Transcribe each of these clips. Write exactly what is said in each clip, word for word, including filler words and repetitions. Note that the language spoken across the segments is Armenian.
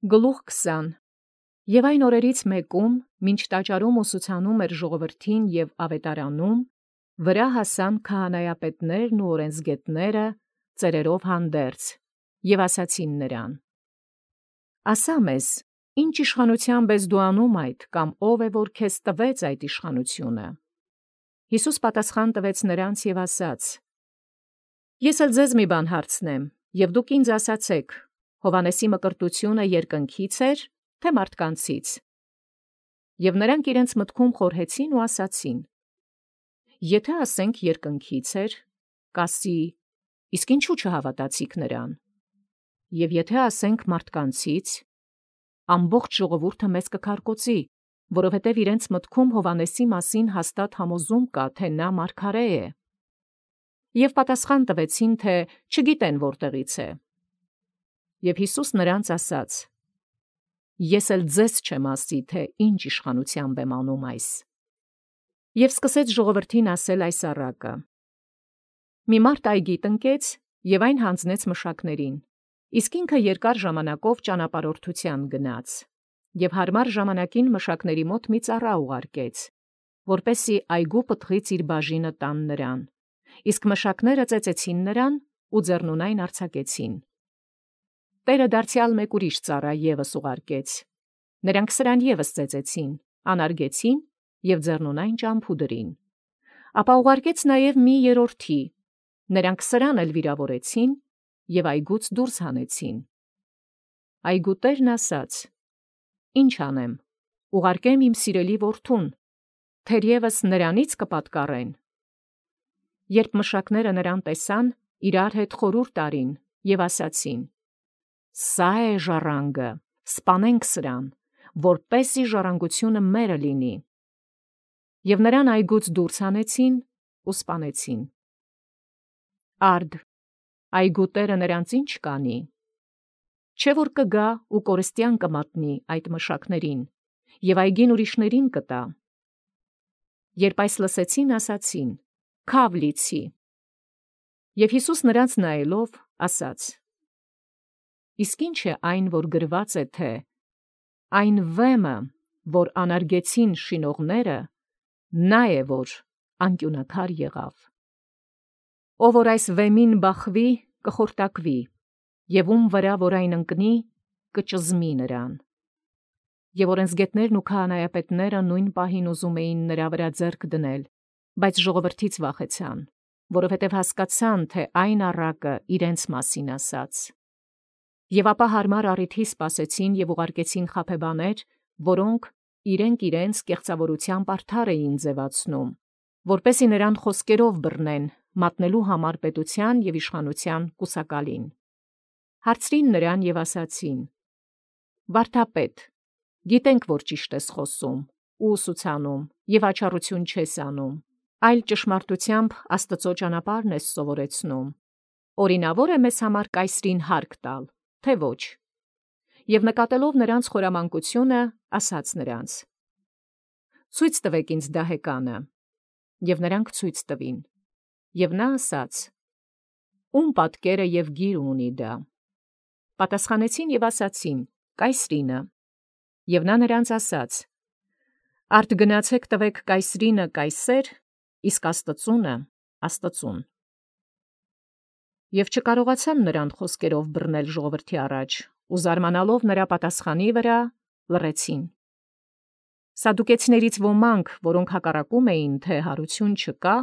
Գլուխ քսան Եւ այն օրերից մեկում, մինչ տաճարում ուսուցանում էր ժողովրդին եւ ավետարանում, վրա հասան քահանայապետներն ու օրենսգետները ծերերով հանդերձ, եւ ասացին նրան. «Ասա մեզ, ինչ իշխանութեամբ ես դու անում այդ, կամ ով է որ քեզ տվեց այդ իշխանությունը»։ Յիսուս պատասխան տվեց նրանց եւ ասաց. «Ես էլ ձեզ մի բան հարցնեմ, եւ դուք ինձ ասացեք. Հովհաննեսի մկրտությունը երկնքից էր, թե մարդկանցից։ Եւ նրանք իրենց մտքում խորհեցին ու ասացին. Եթե ասենք երկնքից էր, կասի, իսկ ինչու չհավատացիք նրան։ Եւ եթե ասենք մարդկանցից, ամբողջ ժողովուրդը մեզ կքարկոծի, որովհետեւ իրենց մտքում Հովհաննեսի մասին հաստատ համոզում կա, թե նա մարգարե է։ Եւ պատասխան տվեցին, թե չգիտեն որտեղից է։ Եւ Յիսուս նրանց ասաց. Ես էլ ձեզ չեմ ասի, թե ինչ իշխանութեամբ եմ անում այս։ Եւ սկսեց ժողովրդին ասել այս առակը. Մի մարդ այգի տնկեց եւ այն հանձնեց մշակներին, իսկ ինքը երկար ժամանակով ճանապարհորդության գնաց, եւ հարմար ժամանակին մշակների մոտ մի ծառա ուղարկեց, որպեսի այգու պտղից իր բաժինը տան նրան, իսկ մշակները ծեծեցին նրան ու ձեռնունայն արձակեցին։ Տերը դարձյալ մեկ ուրիշ ծառա ևս ուղարկեց։ Նրանք սրան ևս ծեծեցին, անարգեցին եւ ձեռնունայն ճամփուդրին։ Ապա ուղարկեց նաեւ մի երրորդի։ Նրանք սրան էլ վիրավորեցին եւ այգուց դուրս հանեցին։ Այգու տերն ասաց. Ինչ անեմ, ուղարկեմ իմ սիրելի որդուն, թերևս նրանից կպատկառեն։ Երբ մշակները նրան տեսան, իրար հետ խորհուրդ արին եւ ասացին. Սա է ժառանգը, սպանենք սրան, որպեսզի ժառանգությունը մերը լինի։ Եւ նրան այգուց դուրս հանեցին ու սպանեցին։ Արդ, այգու տերը նրանց ինչ կանի։ Չէ որ կգա ու կորստյան կմատնի այդ մշակներին, եւ այգին ուրիշներին կտա։ Երբ այս լսեցին, ասացին. Քավ լիցի։ Եվ Յիսուս նրանց նայելով ասաց. Իսկ ինչ է այն, որ գրված է, թե այն վեմը, որ անարգեցին շինողները, նա է, որ անկյունաքար եղավ։ Ով որ այս վեմին բախվի, կխորտակվի, եւ ում վրա որ այն ընկնի, կճզմի նրան։ Եվ օրենսգետներն ու քահանայապետները նույն պահին ուզում էին նրա վրա ձեռք դնել, բայց ժողովրդից վախեցան, որովհետև հասկացան, թե այն առակը իրենց մասին ասաց։ Եւ ապա հարմար առիթի սպասեցին եւ ուղարկեցին խաբեբաներ, որոնք իրենք իրենց կեղծավորությամբ արդար էին ձևացնում, որպեսի նրան խոսքերով բռնեն, մատնելու համար պետության եւ իշխանության կուսակալին։ Հարցրին նրան եւ ասացին. Վարդապետ, գիտենք, որ ճիշտ ես խոսում, ու ուսուցանում եւ աչառություն չես անում, այլ ճշմարտությամբ Աստծո ճանապարհն ես սովորեցնում։ Օրինավոր է մեզ համար կայսրին հարկ տալ, թե ոչ։ Եվ նկատելով նրանց խորամանկությունը, ասաց նրանց. Ցույց տվեք ինձ դահեկանը, եւ նրանք ցույց տվին։ Եվ նա ասաց. Ում պատկերը եւ գիրը ունի դա։ Պատասխանեցին եւ ասացին. Կայսրինը։ Եվ նա նրանց ասաց. Արդ գնացեք տվեք կայսրինը կայսեր, իսկ Աստծունը Աստծուն։ Եվ չկարողացան նրան խոսքերով բռնել ժողովրդի առաջ, ու զարմանալով նրա պատասխանի վրա լռեցին։ Սադուկեցիներից ոմանք, որոնք հակառակում էին, թե հարություն չկա,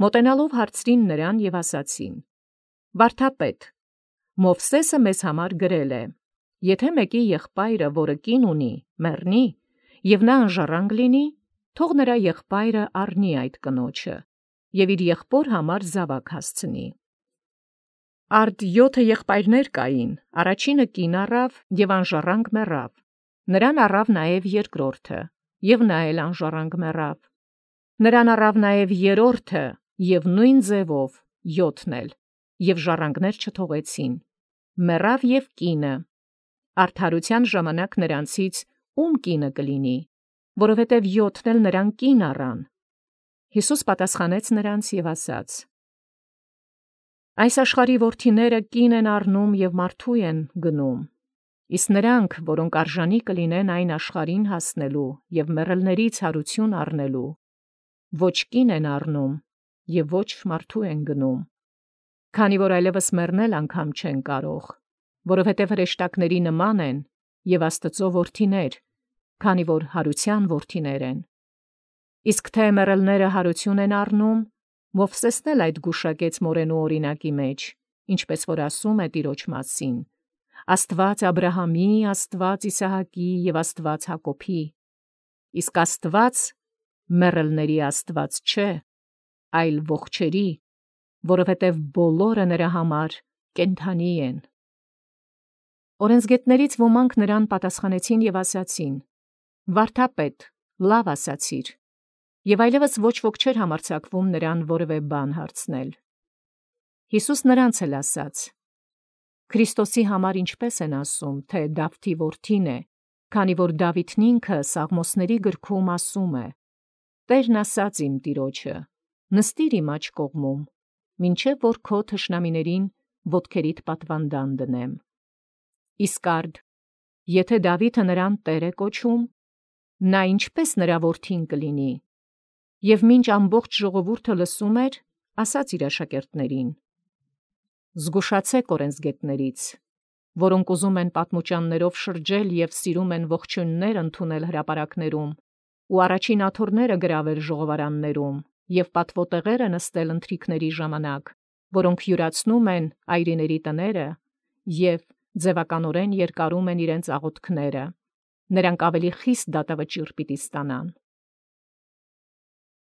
մոտենալով հարցրին նրան եւ ասացին. Վարդապետ, Մովսեսը մեզ համար գրել է. Եթե մեկի եղբայրը, որը կին ունի, մեռնի, եւ նա անժառանգ լինի, թող նրա եղբայրը առնի այդ կնոջը, եւ իր եղբոր համար զավակ հասցնի։ Արդ յոթը եղբայրներ կային, առաջինը կին առավ եւ անժառանգ մեռավ, նրան առավ նաեւ երկրորդը, եւ նա էլ անժառանգ մեռավ, նրան առավ նաեւ երրորդը, եւ նույն ձևով յոթն էլ, եւ ժառանգներ չթողեցին, մեռավ եւ կինը, արդարության ժամանակ նրանցից ում կինը կլինի, որովհետև յոթն էլ նրան կին առան։ Յիսուս պատասխանեց նրանց եւ ասաց. Այս աշխարհի որդիները կին են առնում եւ մարդու են գնում, Իսկ նրանք, որոնք արժանի կլինեն այն աշխարհին հասնելու եւ մեռելներից հարություն առնելու, ոչ կին են առնում եւ ոչ մարդու են գնում, քանի որ այլևս մեռնել անգամ չեն կարող, որովհետև հրեշտակների նման են եւ Աստծո որդիներ, քանի որ հարության որդիներ են։ Իսկ թե մեռելները հարություն են առնում, Մովսեսն էլ այդ գուշակեց մորենու օրինակի մեջ, ինչպես որ ասում է Տիրոջ մասին. Աստված Աբրահամի, Աստված Իսահակի եւ Աստված Հակոբի, իսկ Աստված մեռելների Աստված չէ, այլ ողջերի, որովհետև բոլորը նրա համար կենդանի են։ Օրենսգետներից ոմանք նրան պատասխանեցին եւ ասացին. Վարդապետ, լավ ասացիր, եւ այլևս ոչ ոք չէր համարձակվում նրան որևէ բան հարցնել։ Հիսուս նրանց էլ ասաց. Քրիստոսի համար ինչպես են ասում, թե Դավթի որդին է, քանի որ Դավիթն ինքը Սաղմոսների գրքում ասում է. Տերն ասաց իմ Տիրոջը. նստիր իմ աջ կողմում, մինչև որ քո թշնամիներին ոտքերիդ պատվանդան դնեմ։ Իսկ արդ, եթե Դավիթը նրան Տեր է կոչում, նա ինչպես նրա որդին կլինի։ Եվ մինչ ամբողջ ժողովուրդը լսում էր, ասաց իր աշակերտներին. Զգուշացեք օրենսգետներից, որոնք ուզում են պատմուճաններով շրջել եւ սիրում են ողջույններ ընդունել հրապարակներում, ու առաջին աթոռները գրավել ժողովարաններում եւ պատվոտեղերը նստել ընթրիքների ժամանակ, որոնք յուրացնում են այրիների տները եւ ձևականորեն երկարում են իրենց աղոթքները, նրանք ավելի խիստ դատավճիռ պիտի ստանան։